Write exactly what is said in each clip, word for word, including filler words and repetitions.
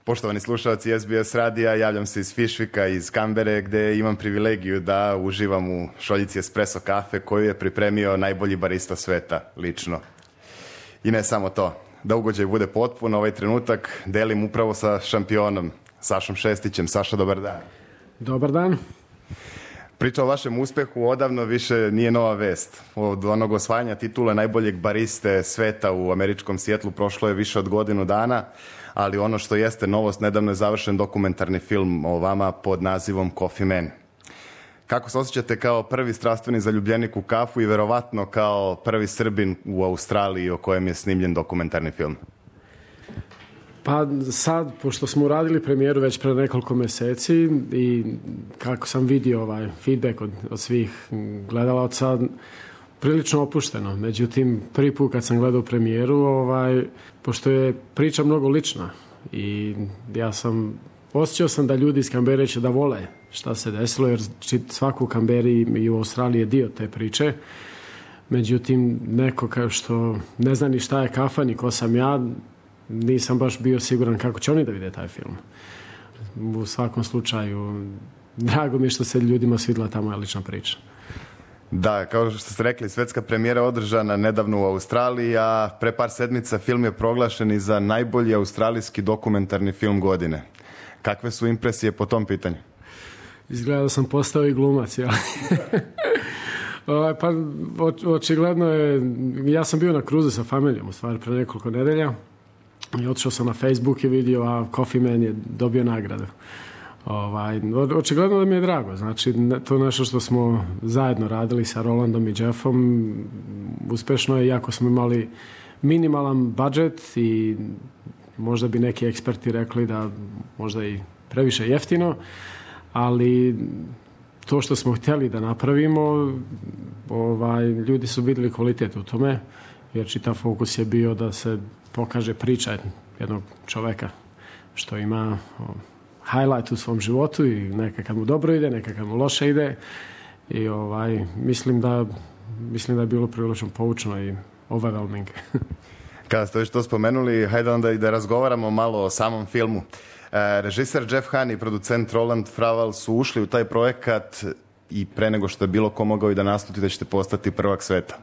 Poštovani slušalci S B S radija, javljam se iz Fišvika, iz Kambere, gde imam privilegiju da uživam u šoljici espresso kafe koju je pripremio najbolji barista sveta, lično. I ne samo to, da ugođaj bude potpun, ovaj trenutak delim upravo sa šampionom, Sašom Šestićem. Saša, dobar dan. Dobar dan. Priča o vašem uspehu odavno više nije nova vest. Od onog osvajanja titula najboljeg bariste sveta u američkom Sijetlu prošlo je više od godinu dana, ali ono što jeste novost, nedavno je završen dokumentarni film o vama pod nazivom Coffee Man. Kako se osjećate kao prvi strastveni zaljubljenik u kafu i verovatno kao prvi Srbin u Australiji o kojem je snimljen dokumentarni film? Pa sad, pošto smo uradili premijeru već pre nekoliko meseci i kako sam vidio ovaj feedback od, od svih gledalaca, prilično opušteno. Međutim, prvi put kad sam gledao premijeru, ovaj, pošto je priča mnogo lična i ja sam, osjećao sam da ljudi iz Kambere će da vole šta se desilo, jer svako u Kamberi i u Australiji je dio te priče. Međutim, neko kao što ne zna ni šta je kafa, ni ko sam ja, nisam baš bio siguran kako će oni da vide taj film. U svakom slučaju, drago mi je što se ljudima svidila ta moja lična priča. Da, kao što ste rekli, svetska premijera održana nedavno u Australiji, a pre par sedmica film je proglašen i za najbolji australijski dokumentarni film godine. Kakve su impresije po tom pitanju? Izgleda da sam postao i glumac, ja. Pa očigledno je, ja sam bio na kruzu sa familijom u stvari pre nekoliko nedelja i otišao sam na Facebook i vidio, a Coffee Man je dobio nagradu. Ovaj, očigledno da mi je drago, znači to je nešto što smo zajedno radili sa Rolandom i Jeffom, uspešno je, iako smo imali minimalan budžet i možda bi neki eksperti rekli da možda i previše jeftino, ali to što smo htjeli da napravimo, ovaj, ljudi su vidjeli kvalitet u tome, jer čitav fokus je bio da se pokaže priča jednog čoveka što ima highlight u svom životu i neka kad mu dobro ide, neka kad mu loše ide i ovaj, mislim da mislim da je bilo prilično poučno i overwhelming. Kada ste već to spomenuli, hajde onda i da razgovaramo malo o samom filmu. E, režiser Jeff Hahn i producent Roland Fraval su ušli u taj projekat i pre nego što je bilo ko mogao i da nasluti da ćete postati prvak sveta.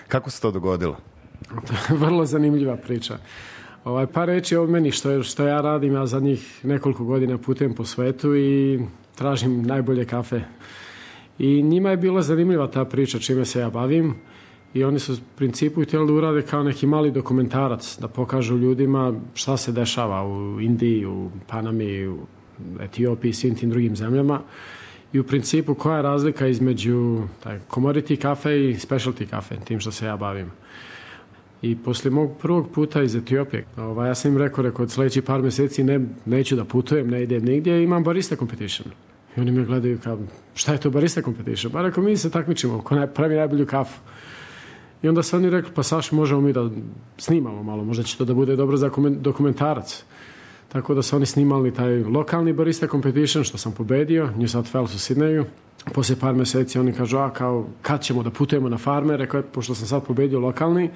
Kako se to dogodilo? Vrlo zanimljiva priča. Ovaj, par reći o meni što, što ja radim, ja zadnjih nekoliko godina putujem po svetu i tražim najbolje kafe. I njima je bila zanimljiva ta priča čime se ja bavim i oni su u principu htjeli da urade kao neki mali dokumentarac, da pokažu ljudima šta se dešava u Indiji, u Panami, u Etiopiji i svim tim drugim zemljama i u principu koja je razlika između taj, commodity kafe i specialty kafe, tim što se ja bavim. I poslije mog prvog puta iz Etiopije, ovaj, ja sam im rekao, rekao, od sljedećih par mjeseci ne, neću da putujem, ne idem nigdje, imam barista competition. I oni me gledaju kao, šta je to barista competition? Pa rekao, mi se takmičimo, ko ne, pravi najbolju kafu. I onda su oni rekli, pa Saš, možemo mi da snimamo malo, možda će to da bude dobro za dokumentarac. Tako da su oni snimali taj lokalni barista competition, što sam pobedio, New South Wales u Sidneju. Poslije par mjeseci oni kažu, a kao, kad ćemo da putujemo na farme? Rekao, pošto sam sad pobedio lokalni,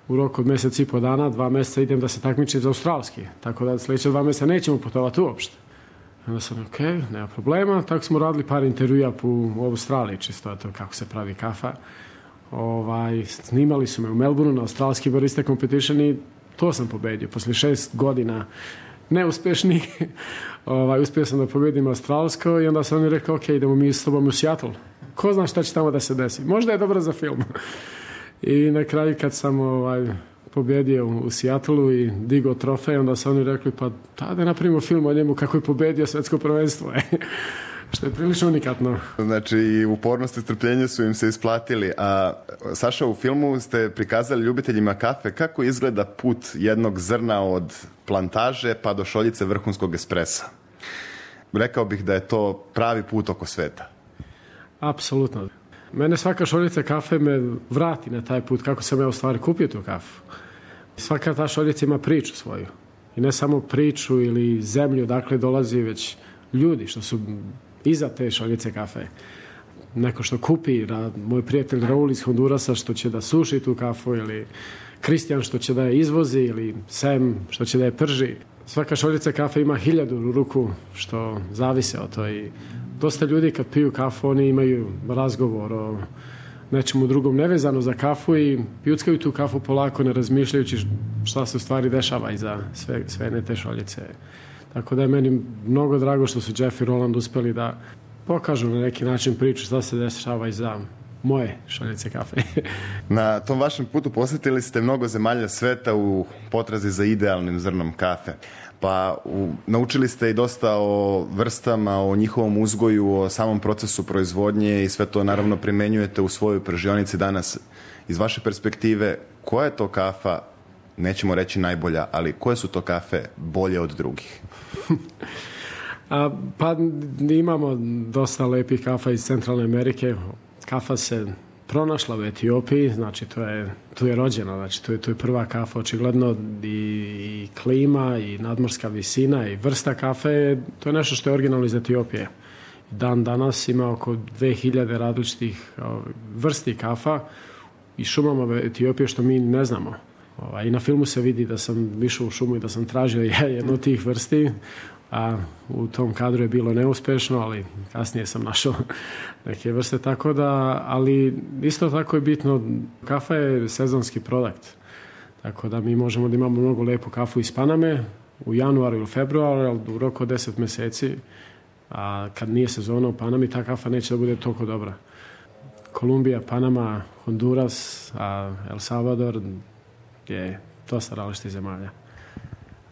u roku od mjesec i po dana, dva mjeseca idem da se takmičim za australski. Tako da sljedeće dva mjeseca nećemo putovati uopšte. Onda sam, ok, nema problema. Tako smo radili par intervjua u Australiji, čisto to kako se pravi kafa. Ovaj, snimali su me u Melbourneu na australski barista competition i to sam pobedio. Poslije šest godina neuspješni, ovaj, uspio sam da pobedim australsko i onda sam oni rekao, ok, idemo mi s tobom u Seattle. Ko zna šta će tamo da se desi? Možda je dobro za film. I na kraju kad sam ovaj, pobjedio u Seattleu i digao trofej, onda su oni rekli, pa tada napravimo film o njemu kako je pobjedio svetsko prvenstvo. Što je prilično unikatno. Znači, i upornost i strpljenje su im se isplatili. A Saša, u filmu ste prikazali ljubiteljima kafe kako izgleda put jednog zrna od plantaže pa do šoljice vrhunskog espresa. Rekao bih da je to pravi put oko sveta. Apsolutno. Mene svaka šoljica kafe me vrati na taj put kako sam ja u stvari kupio tu kafu. Svaka ta šoljica ima priču svoju. I ne samo priču ili zemlju odakle dolazi, već ljudi što su iza te šoljice kafe. Neko što kupi, moj prijatelj Raul iz Hondurasa što će da suši tu kafu, ili Kristijan što će da je izvozi, ili Sam što će da je prži. svaka šoljica kafe ima hiljadu ruku što zavise od to i dosta ljudi kad piju kafu oni imaju razgovor o nečemu drugom nevezano za kafu i pjuckaju tu kafu polako ne razmišljajući šta se u stvari dešava iza sve, sve ne te šoljice. Tako da je meni mnogo drago što su Jeff i Roland uspeli da pokažu na neki način priču šta se dešava iza moje šoljice kafe. Na tom vašem putu posjetili ste mnogo zemalja sveta u potrazi za idealnim zrnom kafe. Pa u, naučili ste i dosta o vrstama, o njihovom uzgoju, o samom procesu proizvodnje i sve to naravno primenjujete u svojoj pržionici danas. Iz vaše perspektive, koja je to kafa, nećemo reći najbolja, ali koje su to kafe bolje od drugih? A, pa imamo dosta lepih kafa iz Centralne Amerike. Kafa se pronašla u Etiopiji, znači to je, tu je rođena, znači tu je, tu je prva kafa, očigledno i, i klima i nadmorska visina i vrsta kafe, to je nešto što je originalno iz Etiopije. Dan danas ima oko dve hiljade različitih vrsti kafa i šumama Etiopije što mi ne znamo. I na filmu se vidi da sam išao u šumu i da sam tražio jednu od tih vrsti, a u tom kadru je bilo neuspešno, ali kasnije sam našao neke vrste, tako da, ali isto tako je bitno, kafa je sezonski produkt, tako da mi možemo da imamo mnogo lepu kafu iz Paname u januaru ili februaru, ali u roku od deset meseci, a kad nije sezona u Panami, ta kafa neće da bude toliko dobra. Kolumbija, Panama, Honduras, a El Salvador je dosta različitih zemalja.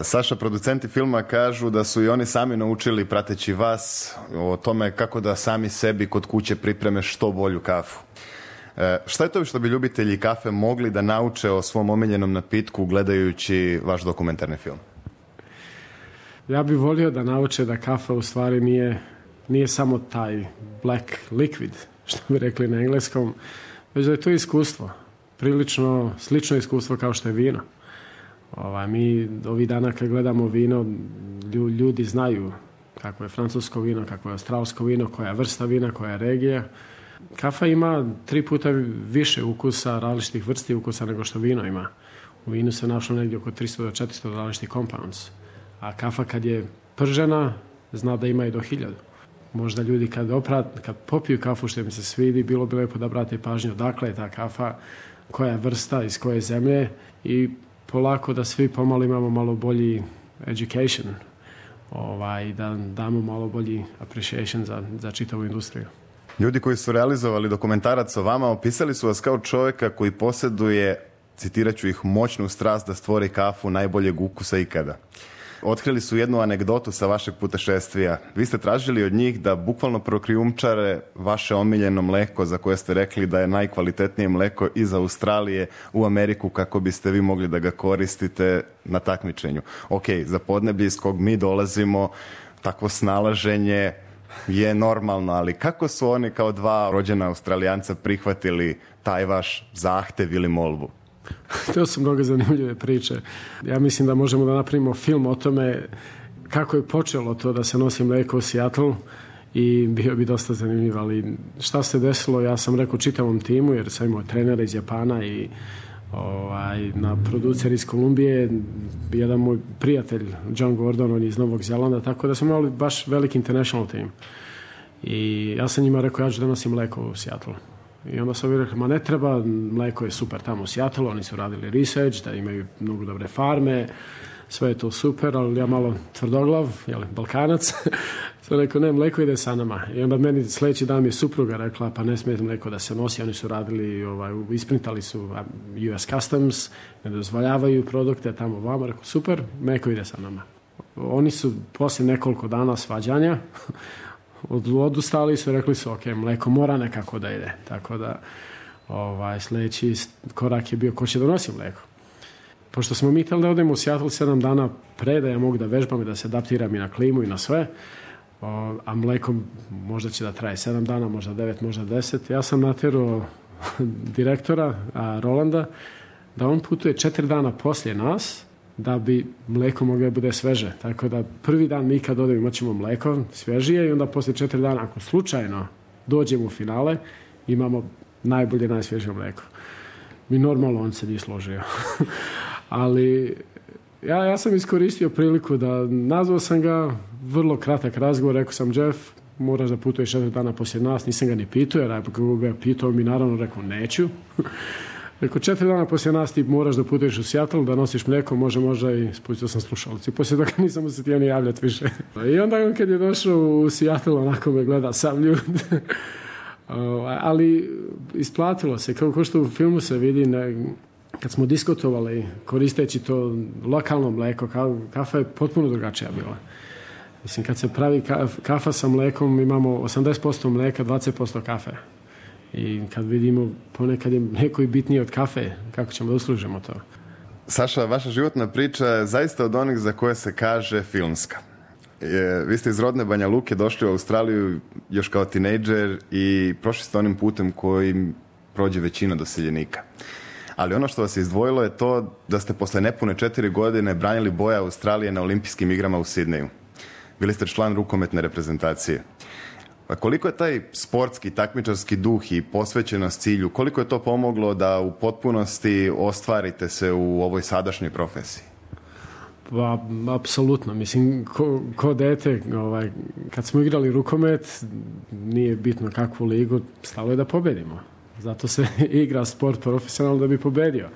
Saša, producenti filma kažu da su i oni sami naučili, prateći vas, o tome kako da sami sebi kod kuće pripreme što bolju kafu. E, šta je to što bi ljubitelji kafe mogli da nauče o svom omiljenom napitku gledajući vaš dokumentarni film? Ja bih volio da nauče da kafa u stvari nije, nije samo taj black liquid, što bi rekli na engleskom, već da je to iskustvo. Prilično slično iskustvo kao što je vino. Ovaj, mi ovih dana kad gledamo vino, ljudi znaju kako je francusko vino, kako je australsko vino, koja je vrsta vina, koja je regija. Kafa ima tri puta više ukusa, različitih vrsti ukusa nego što vino ima. U vinu se našlo negdje oko tristo do četiristo različitih compounds. A kafa kad je pržena, zna da ima i do hiljadu. Možda ljudi kad, oprat, kad popiju kafu što im se svidi, bilo bi lepo da brate pažnju odakle je ta kafa, koja je vrsta, iz koje zemlje i polako da svi pomalo imamo malo bolji education, ovaj, da damo malo bolji appreciation za, za čitavu industriju. Ljudi koji su realizovali dokumentarac o vama opisali su vas kao čovjeka koji posjeduje, citirat ću ih, moćnu strast da stvori kafu najboljeg ukusa ikada. Otkrili su jednu anegdotu sa vašeg putešestvija. Vi ste tražili od njih da bukvalno prokrijumčare vaše omiljeno mleko za koje ste rekli da je najkvalitetnije mleko iz Australije u Ameriku kako biste vi mogli da ga koristite na takmičenju. Ok, za podneblje iz kog mi dolazimo, takvo snalaženje je normalno, ali kako su oni kao dva rođena Australijanca prihvatili taj vaš zahtev ili molbu? To su mnogo zanimljive priče. Ja mislim da možemo da napravimo film o tome kako je počelo to da se nosi mleko u Seattle i bio bi dosta zanimljiv, ali šta se desilo, ja sam rekao čitavom timu, jer sam imao trenera iz Japana i ovaj, na producer iz Kolumbije, jedan moj prijatelj John Gordon, on je iz Novog Zelanda, tako da smo imali baš veliki international team. I ja sam njima rekao, ja ću da nosim mleko u Seattle. I onda sam mi rekli, ma ne treba, mleko je super tamo u Seattle, oni su radili research, da imaju mnogo dobre farme, sve je to super, ali ja malo tvrdoglav, jel, Balkanac, sam rekao, ne, mleko ide sa nama. I onda meni sljedeći dan mi je supruga rekla, pa ne smije mleko da se nosi, oni su radili, ovaj, isprintali su U S Customs, ne dozvoljavaju produkte tamo vama, rekao, super, mleko ide sa nama. Oni su poslije nekoliko dana svađanja, odustali su, rekli su, ok, mleko mora nekako da ide. Tako da ovaj, sljedeći korak je bio ko će donosi mleko. Pošto smo mi htjeli da odemo u Seattle sedam dana pre, da ja mogu da vežbam i da se adaptiram i na klimu i na sve, o, a mleko možda će da traje sedam dana, možda devet, možda deset. Ja sam natjerao direktora a, Rolanda da on putuje četiri dana poslije nas, da bi mleko moglo da bude sveže. Tako da prvi dan mi kad odemo imat ćemo mleko svježije i onda poslije četiri dana, ako slučajno dođemo u finale, imamo najbolje, najsvježije mleko. Mi normalno on se nije složio. Ali Ja, ja sam iskoristio priliku da nazvao sam ga, vrlo kratak razgovor, rekao sam Jeff, moraš da putuješ četiri dana poslije nas, nisam ga ni pitao, jer ako ga pitao mi naravno rekao neću. Rekao, četiri dana poslije nas ti moraš da putuješ u Seattle, da nosiš mlijeko, može, može i spustio sam slušalicu. Poslije toga nisam se htio ni javljati više. I onda on kad je došao u Seattle, onako me gleda sam ljud. Ali isplatilo se, kao što u filmu se vidi, ne, kad smo diskutovali koristeći to lokalno mlijeko, kafa je potpuno drugačija bila. Mislim, kad se pravi kafa sa mlekom, imamo osamdeset posto mleka, dvadeset posto kafe. I kad vidimo, ponekad je mlijeko i bitnije od kafe, kako ćemo da uslužimo to. Saša, vaša životna priča je zaista od onih za koje se kaže filmska. Je, vi ste iz rodne Banja Luke došli u Australiju još kao tinejdžer i prošli ste onim putem kojim prođe većina doseljenika. Ali ono što vas je izdvojilo je to da ste posle nepune četiri godine branili boje Australije na olimpijskim igrama u Sidneju. Bili ste član rukometne reprezentacije. A koliko je taj sportski, takmičarski duh i posvećenost cilju, koliko je to pomoglo da u potpunosti ostvarite se u ovoj sadašnjoj profesiji? Pa, apsolutno. Mislim, ko, ko dete, ovaj, kad smo igrali rukomet, nije bitno kakvu ligu, stalo je da pobedimo. Zato se igra sport profesionalno da bi pobedio.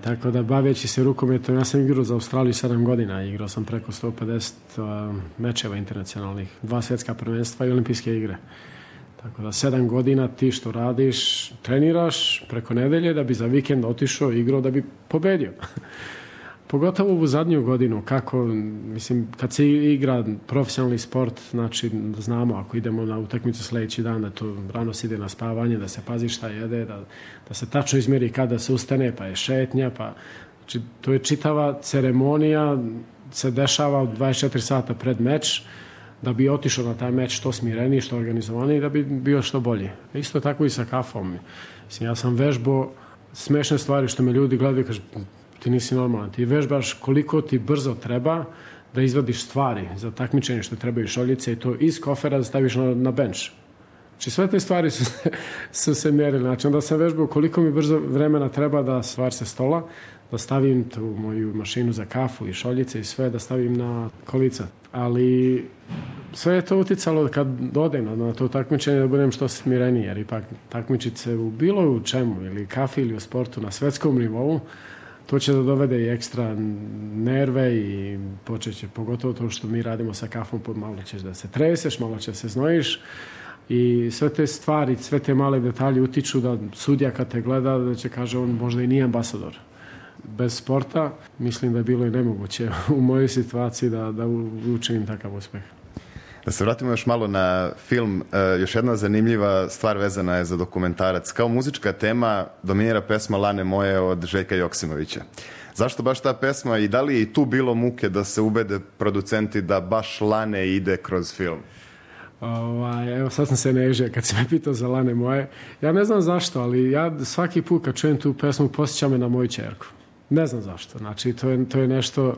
Tako da, baveći se rukometom, ja sam igrao za Australiju sedam godina. Igrao sam preko sto pedeset uh, mečeva internacionalnih, dva svjetska prvenstva i olimpijske igre. Tako da, sedam godina ti što radiš, treniraš preko nedelje da bi za vikend otišao i igrao da bi pobedio. Pogotovo u zadnju godinu, kako, mislim, kad se igra profesionalni sport, znači, znamo, ako idemo na utakmicu sljedeći dan, da to rano se ide na spavanje, da se pazi šta jede, da, da se tačno izmjeri kada se ustane, pa je šetnja, pa, znači, to je čitava ceremonija, se dešava dvadeset četiri sata pred meč, da bi otišao na taj meč što smireniji, što organizovaniji, da bi bio što bolji. Isto tako i sa kafom. Mislim, ja sam vežbao smešne stvari što me ljudi gledaju i kažu, ti nisi normalan. Ti vežbaš koliko ti brzo treba da izvadiš stvari za takmičenje što trebaju šoljice i to iz kofera da staviš na, na bench. Znači sve te stvari su, su se mjerili. Znači onda sam vežbao koliko mi brzo vremena treba da stvar se stola, da stavim tu moju mašinu za kafu i šoljice i sve da stavim na kolica. Ali sve je to uticalo kad dodem na, na to takmičenje da budem što smireniji, jer ipak takmičiti se u bilo u čemu, ili kafi ili u sportu na svetskom nivou, to će da dovede i ekstra nerve i počet će, pogotovo to što mi radimo sa kafom, malo ćeš da se treseš, malo će se znojiš i sve te stvari, sve te male detalje utiču da sudija kad te gleda da će kaže on možda i nije ambasador. Bez sporta mislim da je bilo i nemoguće u mojoj situaciji da, da učinim takav uspeh. Da se vratimo još malo na film, još jedna zanimljiva stvar vezana je za dokumentarac. Kao muzička tema dominira pesma Lane moje od Željka Joksimovića. Zašto baš ta pesma i da li je i tu bilo muke da se ubede producenti da baš Lane ide kroz film? Ovaj, evo sad sam se nežio kad si me pitao za Lane moje. Ja ne znam zašto, ali ja svaki put kad čujem tu pesmu posjeća me na moju ćerku. Ne znam zašto. Znači to je, to je nešto...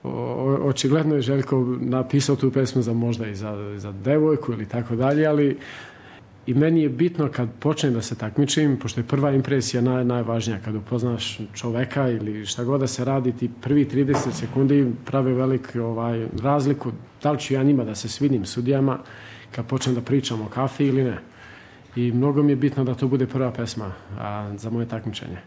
O, očigledno je Željko napisao tu pesmu za možda i za, za devojku ili tako dalje, ali i meni je bitno kad počnem da se takmičim, pošto je prva impresija naj, najvažnija, kad upoznaš čoveka ili šta god da se radi, ti prvi trideset sekundi prave velik ovaj, razliku, da li ću ja njima da se svidim sudijama kad počnem da pričam o kafi ili ne. I mnogo mi je bitno da to bude prva pesma a, za moje takmičenje.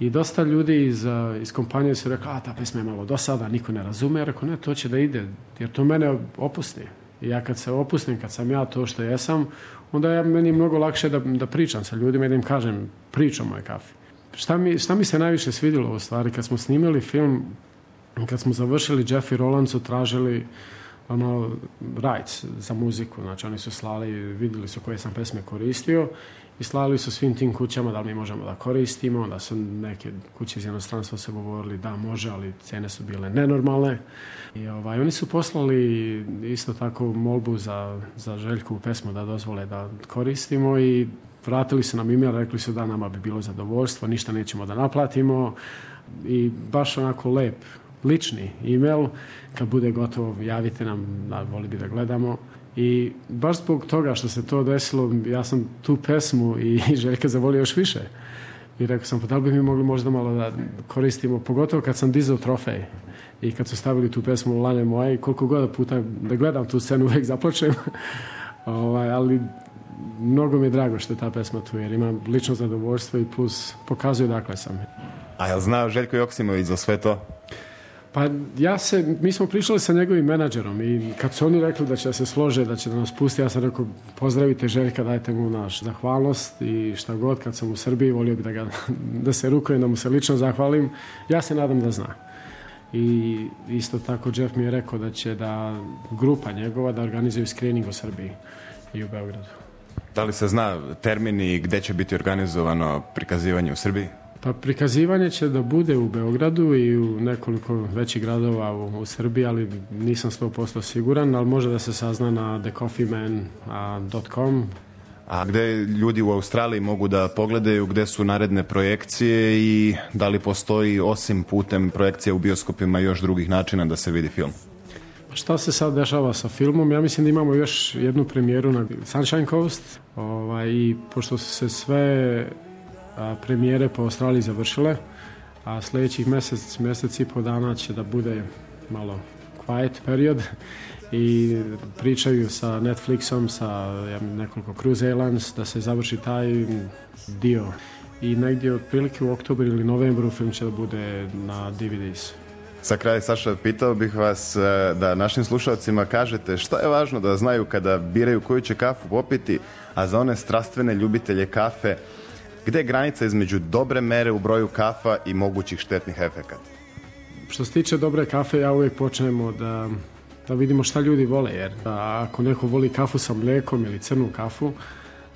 I dosta ljudi iz, iz kompanije su rekli, a ta pesma je malo dosada, niko ne razume. Ja rekao, ne, to će da ide, jer to mene opusti. I ja kad se opustim, kad sam ja to što jesam, onda je meni mnogo lakše da, da pričam sa ljudima i da im kažem priču o moje kafi. Šta mi, šta mi se najviše svidjelo u stvari, kad smo snimili film, kad smo završili, Jeff i Roland su tražili ono, rights za muziku. Znači, oni su slali, vidjeli su koje sam pesme koristio i slali su svim tim kućama da li mi možemo da koristimo, da su neke kuće iz inostranstva se govorili da može, ali cene su bile nenormalne. I ovaj, oni su poslali isto tako molbu za, za Željkovu pesmu da dozvole da koristimo i vratili su nam email, rekli su da nama bi bilo zadovoljstvo, ništa nećemo da naplatimo i baš onako lep, lični email, kad bude gotovo javite nam, da voli bi da gledamo. I baš zbog toga što se to desilo, ja sam tu pesmu i Željka zavolio još više. I rekao sam, pa da li bi mi mogli možda malo da koristimo, pogotovo kad sam dizao trofej i kad su stavili tu pesmu Lane moje i koliko god puta da gledam tu scenu uvijek zaplačem. ovaj, ali mnogo mi je drago što je ta pesma tu jer imam lično zadovoljstvo i plus pokazuje dakle sam. A jel znao Željko Joksimović za sve to? Pa ja se, mi smo pričali sa njegovim menadžerom i kad su oni rekli da će se slože, da će da nas pusti, ja sam rekao pozdravite Željka, dajte mu naš zahvalnost i šta god, kad sam u Srbiji volio bi da, ga, da se rukujem, da mu se lično zahvalim. Ja se nadam da zna. I isto tako Jeff mi je rekao da će da grupa njegova da organizuju screening u Srbiji i u Beogradu. Da li se zna termini gde će biti organizovano prikazivanje u Srbiji? Pa prikazivanje će da bude u Beogradu i u nekoliko većih gradova u, u Srbiji, ali nisam sto posto siguran, ali može da se sazna na the coffee man dot com. A gde ljudi u Australiji mogu da pogledaju gde su naredne projekcije i da li postoji osim putem projekcije u bioskopima još drugih načina da se vidi film? Šta se sad dešava sa filmom? Ja mislim da imamo još jednu premijeru na Sunshine Coast ovaj, i pošto su se sve a, premijere po Australiji završile, a sljedećih mjesec, mjesec i po dana će da bude malo quiet period i pričaju sa Netflixom, sa ja, nekoliko Cruise Airlines da se završi taj dio i negdje otprilike u oktobru ili novembru film će da bude na D V Ds. Za kraj, Saša, pitao bih vas da našim slušalcima kažete šta je važno da znaju kada biraju koju će kafu popiti, a za one strastvene ljubitelje kafe, gde je granica između dobre mere u broju kafa i mogućih štetnih efekata? Što se tiče dobre kafe, ja uvijek počnemo da, da vidimo šta ljudi vole, jer da ako neko voli kafu sa mlijekom ili crnu kafu,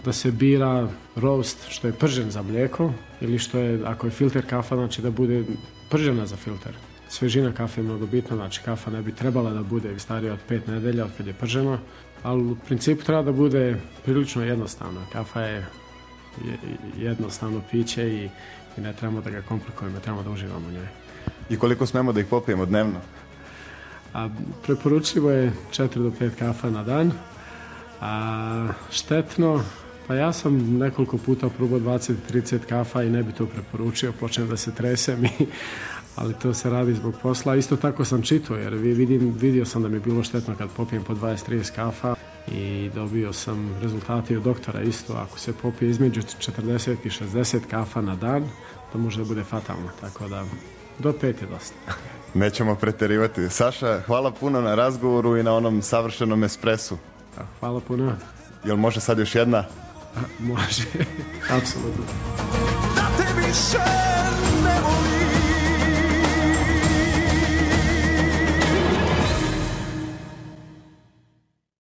da se bira roast što je pržen za mlijeko ili što je, ako je filter kafa, znači da bude pržena za filter. Svežina kafe je mnogo bitna, znači kafa ne bi trebala da bude starija od pet nedelja od kad je pržena, ali u principu treba da bude prilično jednostavna. Kafa je jednostavno piće i, i ne trebamo da ga komplikujemo, trebamo da uživamo u njoj. I koliko smemo da ih popijemo dnevno? A, preporučivo je četiri do pet kafa na dan. A, štetno, pa ja sam nekoliko puta probao dvadeset do trideset kafa i ne bi to preporučio, počnem da se tresem i ali to se radi zbog posla. Isto tako sam čitao, jer vidim, vidio sam da mi je bilo štetno kad popijem po dvadeset do trideset kafa i dobio sam rezultate od doktora isto. Ako se popije između četrdeset i šezdeset kafa na dan, to može da bude fatalno, tako da do pet je dosta. Nećemo preterivati. Saša, hvala puno na razgovoru i na onom savršenom espresu. Hvala puno. Jel može sad još jedna? A, može, apsolutno. Na tebi šen